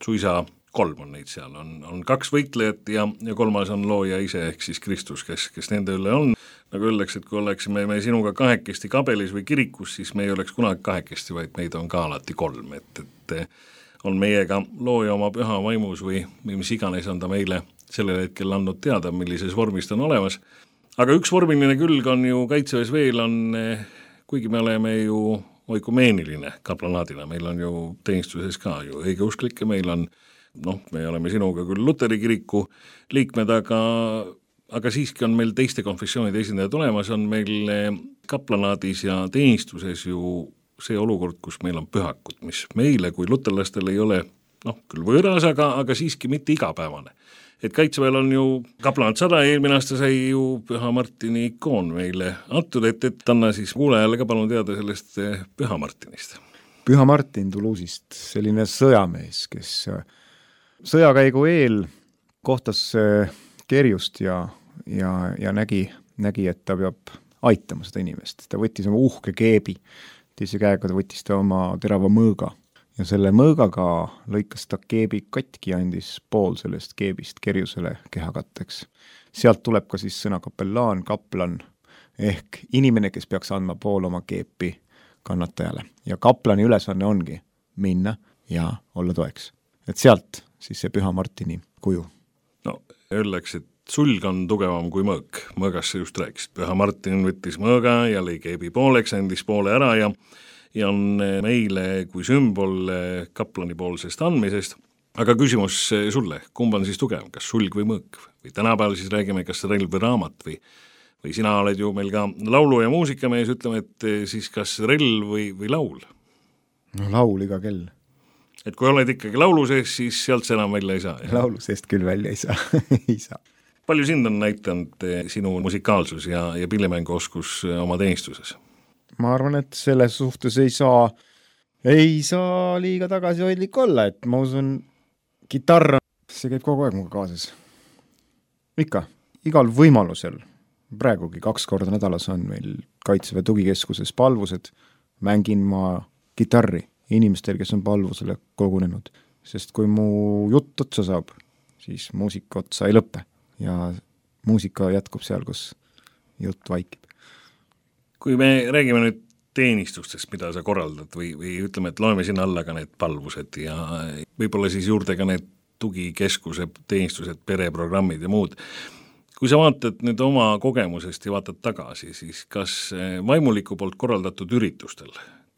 suisa 3 on neid seal. On 2 võitlejat ja 3. on looja ise ehk siis Kristus, kes nende üle on. Nagu öeldakse, et kui oleksime me sinuga 2 kabelis või kirikus, siis me ei oleks kunagi 2, vaid meid on ka alati 3, et on meiega looja oma püha vaimus või mis iganes on ta meile sellel hetkel andnud teada, millises vormis ta on olemas. Aga üks vormiline külg on ju kaitseväes veel on, kuigi me oleme ju oikumeeniline kaplanaadina, meil on ju teenistuses ka ju õigeusklikke, meil on, me oleme sinuga küll Luteri kiriku liikmed, aga siiski on meil teiste konfessioonide esindajad olemas, on meil kaplanaadis ja teenistuses ju see olukord, kus meil on pühakud, mis meile kui luterlastel ei ole, küll võõras, aga siiski mitte igapäevane. Et kaitseväel on ju kaplanat 100, eelmine aasta sai ju Püha Martini ikoon meile antud, et anna siis kuulajale ka palun teada sellest Püha Martinist. Püha Martin Toulouse'ist, selline sõjamees, kes sõjakäigu eel kohtas kerjust ja nägi, et ta peab aitama seda inimest. Ta võttis oma uhke keebi, teise käega ta võttis ta oma terava mõõga ja selle mõõgaga lõikas ta keebi katki ja andis pool sellest keebist kerjusele kehakatteks. Sealt tuleb ka siis sõna kapellaan, kaplan ehk inimene, kes peaks andma pool oma keepi kannatajale. Ja kaplani ülesanne ongi minna ja olla toeks. Et sealt siis see Püha Martini kuju. Öeldakse, et sulg on tugevam kui mõõk. Mõõgast sa just rääkisid. Püha Martin võttis mõõga ja lõi keebi pooleks, andis poole ära ja on meile kui sümbol kaplani poolsest andmisest. Aga küsimus sulle, kumb on siis tugevam, kas sulg või mõõk? Või tänapäeval siis räägime, kas relv või raamat või sina oled ju meil ka laulu- ja muusikamees, ütleme, et siis kas relv või laul? Laul iga kell. Et kui oled ikkagi laulu sees, siis sealt see enam välja ei saa. Laulu seest küll välja ei saa. ei saa. Palju sind on näitanud sinu musikaalsus ja pillimänguoskus oma teenistuses? Ma arvan, et selles suhtes ei saa liiga tagasihoidlik olla, et ma usun, kitarr, see käib kogu aeg muga kaasas. Ikka, igal võimalusel. Praegugi 2 korda nädalas on meil Kaitseväe tugikeskuses palvused, mängin ma kitarri inimestel, kes on palvusele kogunenud, sest kui mu jutt otsa saab, siis muusika otsa ei lõppe ja muusika jätkub seal, kus jutt vaikib. Kui me räägime nüüd teenistustest, mida sa korraldad või ütleme, et loeme sinna alla ka need palvused ja võib-olla siis juurde ka need tugikeskuse teenistused, pereprogrammid ja muud. Kui sa vaatad nüüd oma kogemusest ja vaatad tagasi, siis kas vaimuliku poolt korraldatud üritustel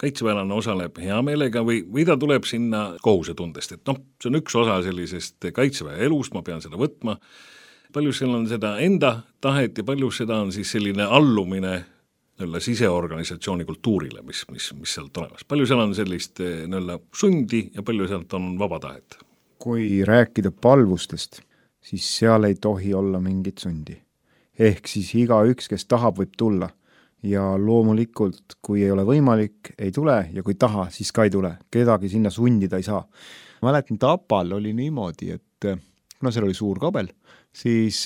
kaitseväelane osaleb hea meelega või ta tuleb sinna kohusetundest, et see on üks osa sellisest kaitseväe elust, ma pean seda võtma. Palju seal on seda enda tahet ja palju seda on siis selline allumine siseorganisatsiooni kultuurile, mis sealt olemas. Palju seal on sellist sundi ja palju sealt on vaba tahet? Kui rääkida palvustest, siis seal ei tohi olla mingit sundi. Ehk siis igaüks, kes tahab, võib tulla. Ja loomulikult, kui ei ole võimalik, ei tule ja kui taha, siis ka ei tule. Kedagi sinna sundida ei saa. Mäletan, Tapal oli niimoodi, et kuna seal oli suur kabel, siis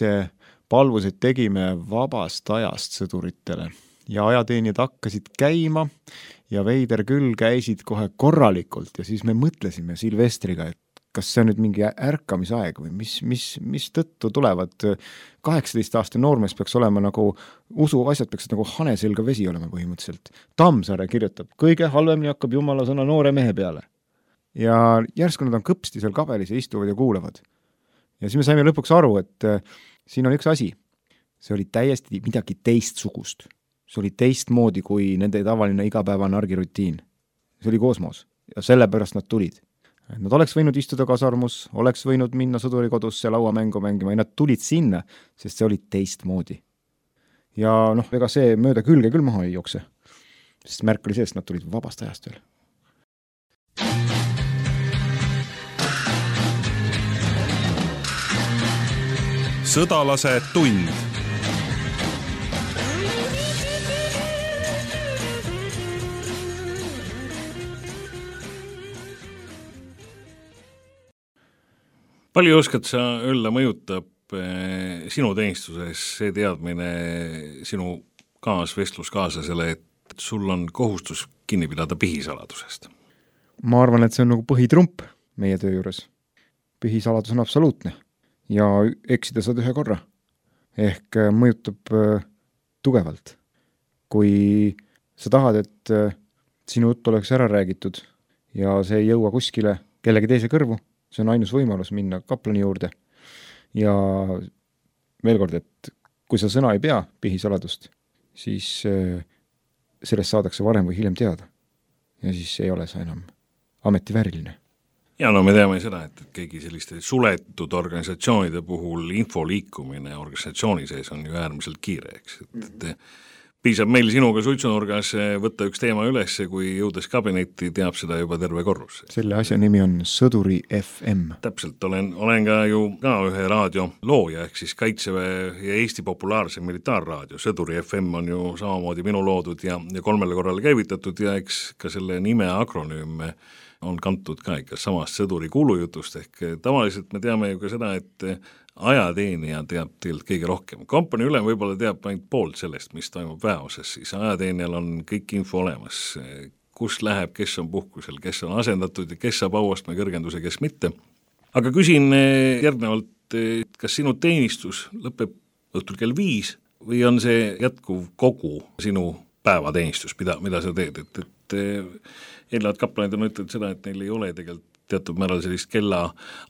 palvused tegime vabast ajast sõduritele. Ja ajateenijad hakkasid käima ja veider küll käisid kohe korralikult ja siis me mõtlesime Silvestriga, et kas see on nüüd mingi ärkamisaeg või mis tõttu tulevad 18-aastane noormees peaks olema nagu, usuasjad peaks nagu hane selga vesi olema põhimõtteliselt. Tammsaare kirjutab, kõige halvemini hakkab jumala sõna noore mehe peale. Ja järsku nad on kõpsti seal kabelis ja istuvad ja kuulavad. ja siis me saime lõpuks aru, et siin on üks asi. See oli täiesti midagi teistsugust. See oli teistmoodi kui nende tavaline igapäevane argirutiin. See oli kosmos ja sellepärast nad tulid. Nad oleks võinud istuda kasarmus, oleks võinud minna sõdurikodusse lauamängu mängima ja nad tulid sinna, sest see oli teistmoodi. Ja ega see mööda külge küll maha ei jookse, sest märk oli see, et nad tulid vabast ajast veel. Sõdalase tund. Palju oskad sa öelda mõjutab sinu teenistuses see teadmine sinu vestluskaaslasele, et sul on kohustus kinni pidada pihisaladusest? Ma arvan, et see on nagu põhitrump meie töö juures. Pihisaladus on absoluutne ja eksida saad ühe korra. Ehk mõjutab tugevalt. Kui sa tahad, et sinu jutt oleks ära räägitud ja see ei jõua kuskile kellegi teise kõrvu, see on ainus võimalus minna kaplani juurde. Ja veel kord, et kui sa sõna ei pea pihisaladust, siis sellest saadakse varem või hiljem teada. Ja siis ei ole sa enam ametivääriline. Ja me teame seda, et keegi selliste suletud organisatsioonide puhul info liikumine organisatsiooni sees on ju äärmiselt kiire, eks. Piisab meil sinuga suitsunurgas võtta üks teema üles, kui jõudes kabinetti teab seda juba terve korrus. Selle asja nimi on Sõduri FM. Täpselt, olen ka ju ühe raadio looja, ehk siis Kaitseväe ja Eesti populaarse militaarraadio. Sõduri FM on ju samamoodi minu loodud ja 3 korral käivitatud ja eks ka selle nime akronüüme on kantud ka ikka samast sõduri kuulujutust, ehk tavaliselt me teame ju ka seda, et ajateenija teab teilt kõige rohkem. Kompanii ülem võib-olla teab ainult poolt sellest, mis toimub väeosas, siis ajateenijal on kõik info olemas, kus läheb, kes on puhkusel, kes on asendatud ja kes saab auastme kõrgenduse, kes mitte. Aga küsin järgnevalt, kas sinu teenistus lõpeb õhtul kell 5 või on see jätkuv kogu sinu päevateenistus, mida sa teed, et eelnevad kaplanid on ütelnud seda, et neil ei ole tegelikult teatud määral sellist kella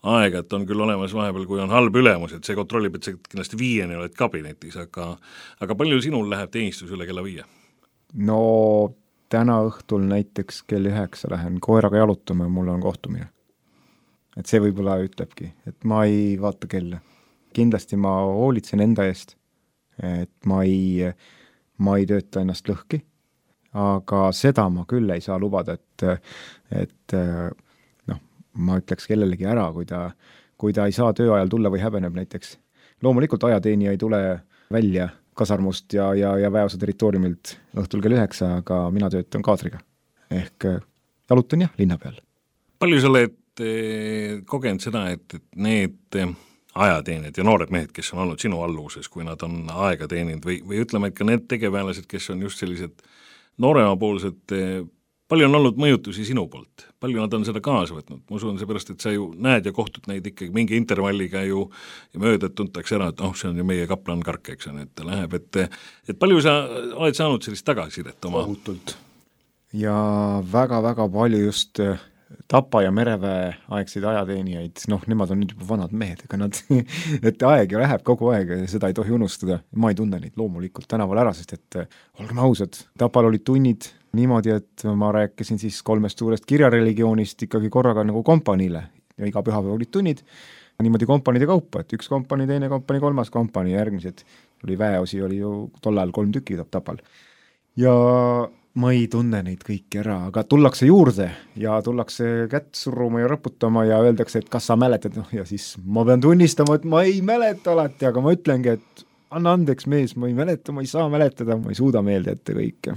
aega, et on küll olemas vahepeal, kui on halb ülemus, et see kontrollib, et sa kindlasti 5 oled kabinetis, aga palju sinul läheb teenistus üle kella 5? No täna õhtul näiteks kell 9 lähen koeraga jalutama ja mul on kohtumine. Et see võib-olla ütlebki, et ma ei vaata kella. Kindlasti ma hoolitsen enda eest, et ma ei tööta ennast lõhki, aga seda ma küll ei saa lubada, et ma ütleks kellelegi ära, kui ta ei saa tööajal tulla või häbeneb näiteks. Loomulikult ajateenija ei tule välja kasarmust ja väeosa territooriumilt õhtul kell 9, aga mina töötan kaadriga. Ehk jalutan linna peal. Palju sa oled kogenud seda, et need ajateenijad ja noored mehed, kes on olnud sinu alluvuses, kui nad on aega teeninud või ütleme, et ka need tegevväelased, kes on just sellised nooremapoolsed, palju on olnud mõjutusi sinu poolt? Palju nad on seda kaasa võtnud? Ma usun seepärast, et sa ju näed ja kohtud neid ikkagi mingi intervalliga ju ja mööda tuntakse ära, et see on ju meie kaplan Kark, eks on, et ta läheb, et palju sa oled saanud sellist tagasisidet oma? Ohutult. Ja väga-väga palju just Tapa ja Mereväe aegseid ajateenijaid, nemad on nüüd juba vanad mehed, ega nad, et aeg ju läheb kogu aeg ja seda ei tohi unustada. Ma ei tunne neid loomulikult tänaval ära, sest et olgem ausad, Tapal olid tunnid niimoodi, et ma rääkisin siis 3 suurest kirjareligioonist ikkagi korraga nagu kompaniile ja iga pühapäev olid tunnid niimoodi kompaniide kaupa, et 1 kompanii, 2 kompanii, 3 kompanii ja järgmised oli väeosi, oli ju tollal 3 tükki Tapal. Ja ma ei tunne neid kõiki ära, aga tullakse juurde ja tullakse kätt suruma ja raputama ja öeldakse, et kas sa mäletad, ja siis ma pean tunnistama, et ma ei mäleta alati, aga ma ütlengi, et anna andeks mees, ma ei mäleta, ma ei saa mäletada, ma ei suuda meelde ette kõike.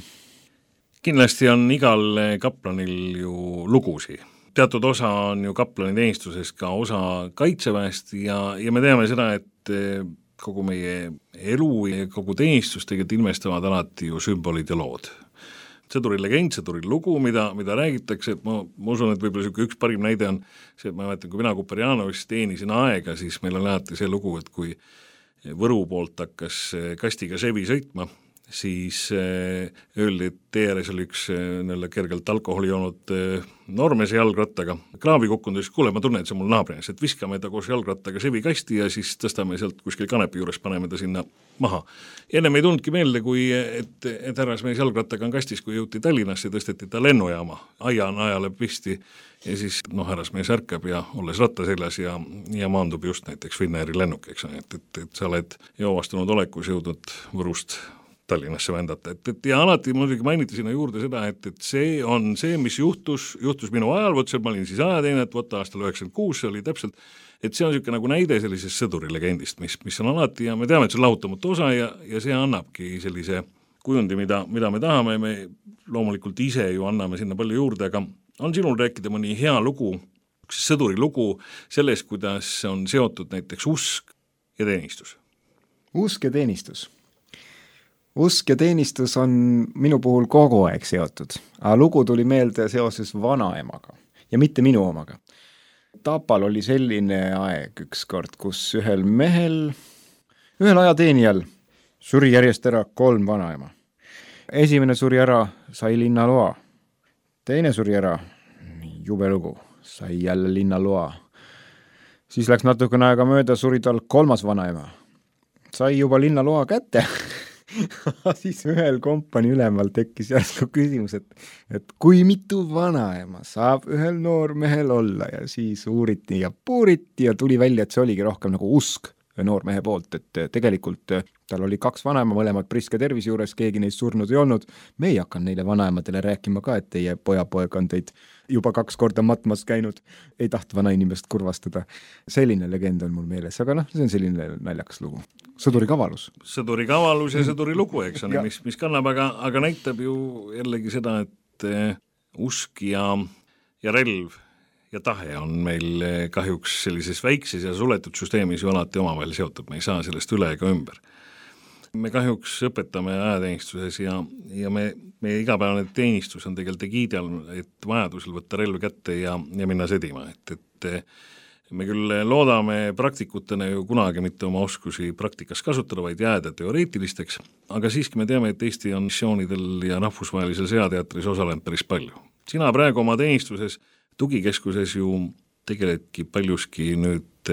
Kindlasti on igal kaplanil ju lugusi. Teatud osa on ju kaplani teenistuses ka osa Kaitseväest ja me teame seda, et kogu meie elu ja kogu teenistus tegelikult ilmestavad alati ju sümbolid ja lood. Sõduri legend, sõduri lugu, mida räägitakse, et ma usun, et võib-olla üks parim näide on see, et ma mäletan, kui mina Kuperjanovis teenisin aega, siis meil on alati see lugu, et kui Võru poolt hakkas kastiga Sevi sõitma, siis öeldi, et tee ääres oli üks kergelt alkoholi joonud noormees jalgrattaga kraavi kukkunud, siis kuule, ma tunnen, et see on mul naabrinas, et viskame ta koos jalgrattaga sevikasti ja siis tõstame sealt kuskil kanepi juures, paneme ta sinna maha. Ennem ei tulnudki meelde, kui et härrasmees jalgrattaga on kastis, kui jõuti Tallinnasse, tõsteti ta lennujaama, ajale pisti ja siis härrasmees ärkab ja olles ratta seljas ja maandub just näiteks Finnairi lennuk, eks, et sa oled joovastunud olekus jõudnud Võrust Tallinnasse vändata, et ja alati muidugi mainiti sinna juurde seda, et see on see, mis juhtus minu ajal, võttes, et ma olin siis ajateine, et võtta aastal 96, see oli täpselt, et see on niisugune nagu näide sellisest sõdurilegendist, mis on alati ja me teame, et see on lahutamatu osa ja see annabki sellise kujundi, mida me tahame, me loomulikult ise ju anname sinna palju juurde, aga on sinul rääkida mõni hea lugu, sõduri lugu sellest, kuidas on seotud näiteks usk ja teenistus? Usk ja teenistus. Usk ja teenistus on minu puhul kogu aeg seotud, aga lugu tuli meelde seoses vanaemaga ja mitte minu omaga. Tapal oli selline aeg ükskord, kus ühel ajateenijal suri järjest ära 3 vanaema. Esimene suri ära, sai linnaloa. Teine suri ära, jube lugu, sai jälle linnaloa. Siis läks natukene aega mööda, suri tal 3. vanaema. Sai juba linnaloa kätte. Siis ühel kompani ülemal tekkis järsku küsimus, et kui mitu vanaema saab ühel noormehel olla ja siis uuriti ja puuriti ja tuli välja, et see oligi rohkem nagu usk noormehe poolt, et tegelikult tal oli 2 vanaema, mõlemad priske tervise juures, keegi neist surnud ei olnud. Me ei hakanud neile vanaemadele rääkima ka, et teie pojapoeg on teid juba 2 korda matmas käinud, ei taht vanainimest kurvastada. Selline legend on mul meeles, aga see on selline naljakas lugu. Sõduri kavalus ja sõduri lugu, eks on, mis kannab, aga näitab ju jällegi seda, et usk ja relv ja tahe on meil kahjuks sellises väikses ja suletud süsteemis ju alati omavahel seotud, me ei saa sellest üle ega ümber. Me kahjuks õpetame ajateenistuses ja meie igapäevane teenistus on tegelikult egiidi all, et vajadusel võtta relv kätte ja minna sõdima, et me küll loodame praktikutena ju kunagi mitte oma oskusi praktikas kasutada, vaid jääda teoreetilisteks, aga siiski me teame, et Eesti on missioonidel ja rahvusvahelisel sõjateatris osalenud päris palju. Sina praegu oma teenistuses tugikeskuses ju tegeledki paljuski nüüd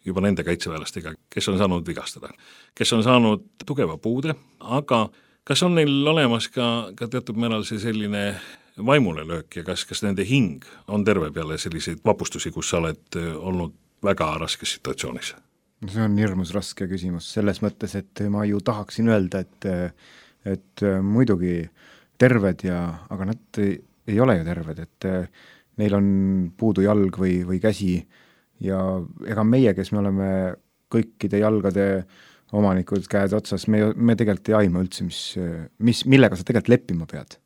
juba nende kaitseväelastega, kes on saanud vigastada, kes on saanud tugeva puude, aga kas on neil olemas ka teatud määral see selline vaimule löök ja kas nende hing on terve peale selliseid vapustusi, kus sa oled olnud väga raskes situatsioonis? See on hirmus raske küsimus selles mõttes, et ma ju tahaksin öelda, et muidugi terved aga nad ei ole ju terved, et neil on puudu jalg või käsi ja ega meie, kes me oleme kõikide jalgade omanikud käed otsas, me tegelikult ei aima üldse, millega sa tegelikult leppima pead.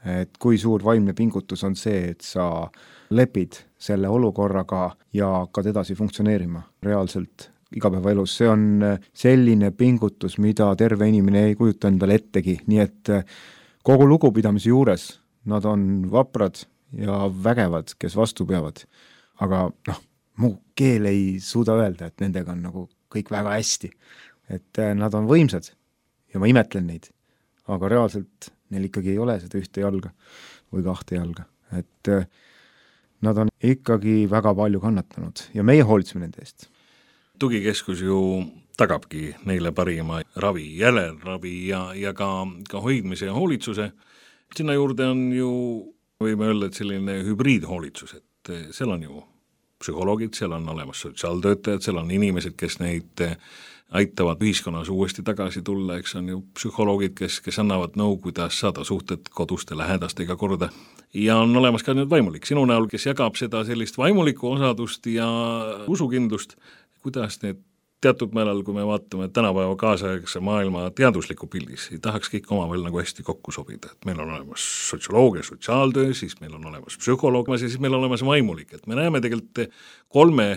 Et kui suur vaimne pingutus on see, et sa lepid selle olukorraga ja hakkad edasi funktsioneerima reaalselt igapäevaelus. See on selline pingutus, mida terve inimene ei kujuta endale ettegi, nii et kogu lugupidamise juures nad on vaprad ja vägevad, kes vastu peavad. Aga mu keel ei suuda öelda, et nendega on nagu kõik väga hästi. Et nad on võimsad ja ma imetlen neid, aga reaalselt neil ikkagi ei ole seda ühte jalga või 2 jalga. Et nad on ikkagi väga palju kannatanud ja meie hoolitseme nende eest. Tugikeskus ju tagabki neile parima ravi, järelravi ja ka hoidmise ja hoolitsuse. Sinna juurde on ju, võime öelda, et selline hübriidhoolitsus, et seal on ju psühholoogid, seal on olemas sotsiaaltöötajad, seal on inimesed, kes neid aitavad ühiskonnas uuesti tagasi tulla, eks on ju psühholoogid, kes annavad nõu, kuidas saada suhted koduste lähedastega korda. Ja on olemas ka nüüd vaimulik sinu näol, kes jagab seda sellist vaimulikku osadust ja usukindlust, kuidas need teatud määral, kui me vaatame tänapäeva kaasaegse maailma teadusliku pildis, ei tahaks kõik omavahel nagu hästi kokku sobida, et meil on olemas sotsioloogia, sotsiaaltöö, siis meil on olemas psühholoog ja siis meil on olemas vaimulik, et me näeme tegelikult 3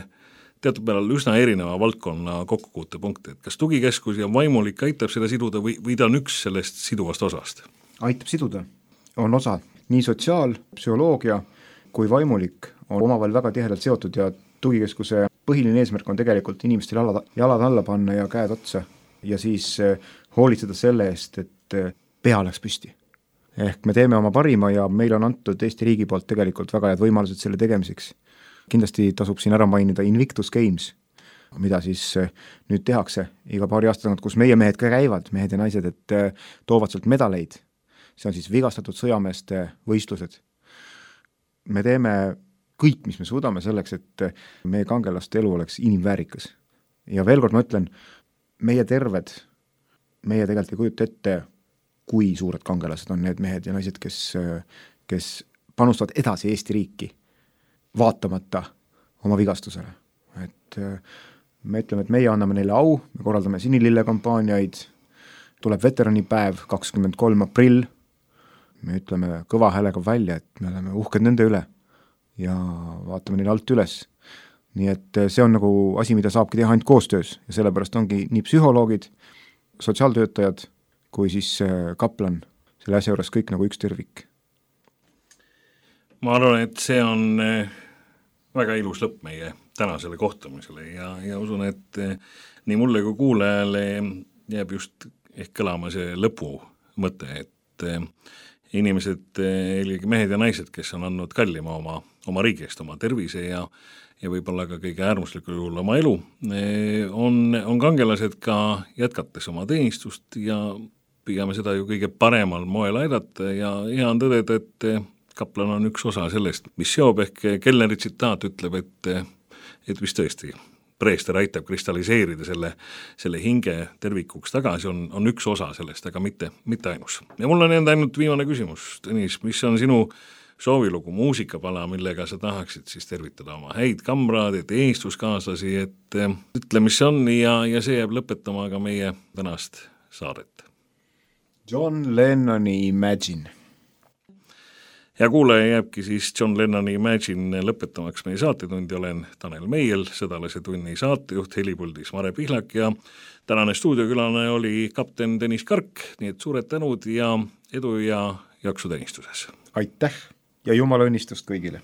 teatud määral üsna erineva valdkonna kokkupuutepunkte, et kas tugikeskus ja vaimulik aitab seda siduda või ta on üks sellest siduvast osast? Aitab siduda, on osa, nii sotsiaal, psühholoogia kui vaimulik on omavahel väga tihedalt seotud ja tugikeskuse põhiline eesmärk on tegelikult inimestel jalad alla panna ja käed otsa ja siis hoolitseda selle eest, et pea läks püsti. Ehk me teeme oma parima ja meil on antud Eesti riigi poolt tegelikult väga head võimalused selle tegemiseks. Kindlasti tasub siin ära mainida Invictus Games, mida siis nüüd tehakse iga paari aasta tagant, kus meie mehed ka käivad, mehed ja naised, et toovad sealt medaleid. See on siis vigastatud sõjameeste võistlused. Me teeme kõik, mis me suudame selleks, et meie kangelaste elu oleks inimväärikas. Ja veel kord ma ütlen, meie terved, meie tegelikult ei kujuta ette, kui suured kangelased on need mehed ja naised, kes panustavad edasi Eesti riiki, vaatamata oma vigastusele. Et me ütleme, et meie anname neile au, me korraldame sinilille kampaaniaid, tuleb veteranipäev 23. aprill, me ütleme kõva häälega välja, et me oleme uhked nende üle ja vaatame neile alt üles. Nii et see on nagu asi, mida saabki teha ainult koostöös ja sellepärast ongi nii psühholoogid, sotsiaaltöötajad kui siis kaplan selle asja juures kõik nagu üks tervik. Ma arvan, et see on väga ilus lõpp meie tänasele kohtumisele ja usun, et nii mulle kui kuulajale jääb just ehk kõlama see lõpu mõte, et inimesed, eelkõige mehed ja naised, kes on andnud kallima oma riigist, oma tervise ja võib-olla ka kõige äärmuslikul juhul oma elu, on kangelased ka jätkates oma teenistust ja püüame seda ju kõige paremal moel aidata ja hea on tõdeda, et kaplan on üks osa sellest, mis seob, ehk Kellneri tsitaat ütleb, et vist tõesti preester aitab kristalliseerida selle hinge tervikuks tagasi, on üks osa sellest, aga mitte ainus. Ja mul on ainult viimane küsimus, Tõnis, mis on sinu soovilugu, muusikapala, millega sa tahaksid siis tervitada oma häid kamraade, teenistuskaaslasi, et ütle, mis on ja see jääb lõpetama ka meie tänast saadet. John Lennoni Imagine. Ja kuulaja jääbki siis John Lennoni Imagine lõpetamaks meie saatetundi. Olen Tanel Meiel, Sõdalase tunni saatejuht, helipuldis Mare Pihlak ja tänane stuudiokülane oli kapten Tõnis Kark, nii et suured tänud ja edu ja jaksu teenistuses. Aitäh ja jumala õnnistust kõigile!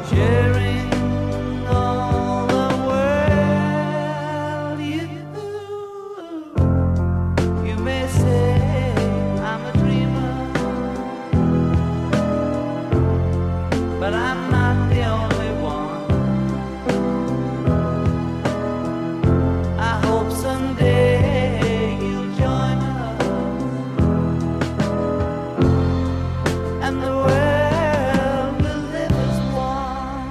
Sharing but I'm not the only one. I hope someday you'll join us, and the world will live as one.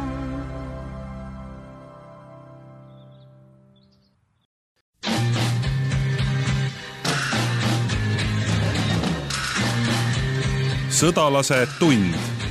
Sõdalase tund.